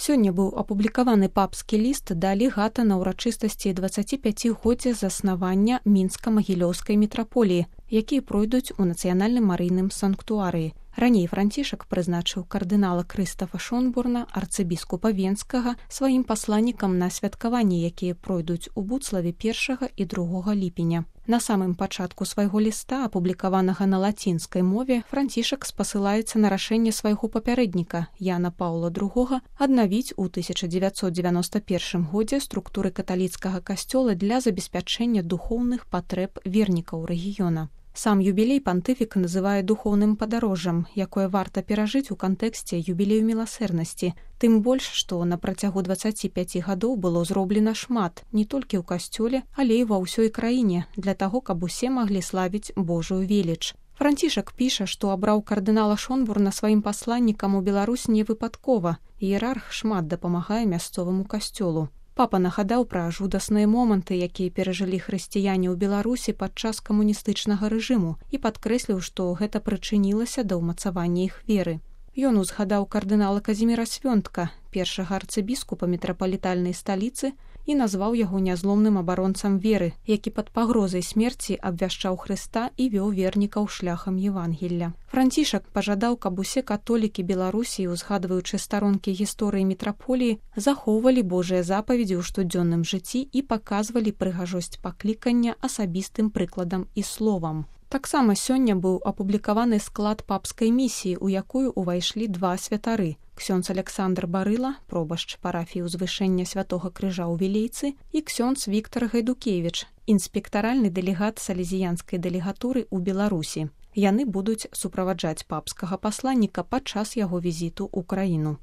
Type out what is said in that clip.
Сёння быў апублікаваны папскі ліст да легата на ўрачыстасці 25-годдзя заснавання мінска-магілёўскай мітраполіі, якія пройдуць у нацыянальным марыйным санктуарыі. Раней Францішак прызначыў кардынала Крыстафа Шонборна, арцыбіскупа Венскага, сваім пасланнікам на святкаванні, якія пройдуць у Буцлаве 1 і 2 ліпеня. На самым пачатку свайго ліста, апублікаванага на лацінскай мове, Францішак спасылаецца на рашэнне свайго папярэдніка Яна Паўла II аднавіць у 1991 годзе структуры каталіцкага касцёла для забеспячэння духоўных патрэб вернікаў рэгіёна. Сам юбілей пантыфік называе духоўным падарожжам, якое варта перажыць у кантэксце юбілею міласэрнасці, тым больш, што на працягу 25 гадоў было зроблена шмат, не толькі ў касцёле, але і ва ўсёй краіне, для таго, каб усе маглі славіць Божую веліч. Францішак піша, што абраў кардынала Шонборна сваім пасланнікам у Беларусь не выпадкова. Іерарх шмат дапамагае мясцоваму касцёлу. Папа нагадаў пра жудасныя моманты, якія перажылі хрысціяне ў Беларусі падчас камуністычнага рэжыму і падкрэсліў, што гэта прычынілася да ўмацавання іх веры. Ён узгадаў кардынала Казіміра Свёнтка, першага арцыбіскупа метрапалітальнай сталіцы, і назваў яго нязломным абаронцам веры, які пад пагрозай смерці абвяшчаў Хрыста і вёў вернікаў шляхам Евангелля. Францішак пажадаў, каб усе католікі Беларусі, узгадваючы старонкі гісторыі мітраполіі, захоўвалі Божыя запаведзі ў штодзённым жыцці і паказвалі прыгажосць паклікання асабістым прыкладам і словам. Таксама сёння быў апублікаваны склад папскай місіі, у якую ўвайшлі 2 святары: ксёндз Александр Барыла, пробашч парафіі ўзвышэння Святога Крыжа ў Вілейцы, і ксёндз Віктар Гайдукевіч, інспектаральны дэлегат салезіянскай дэлегатуры ў Беларусі. Яны будуць суправаджаць папскага пасланніка падчас яго візіту ў краіну.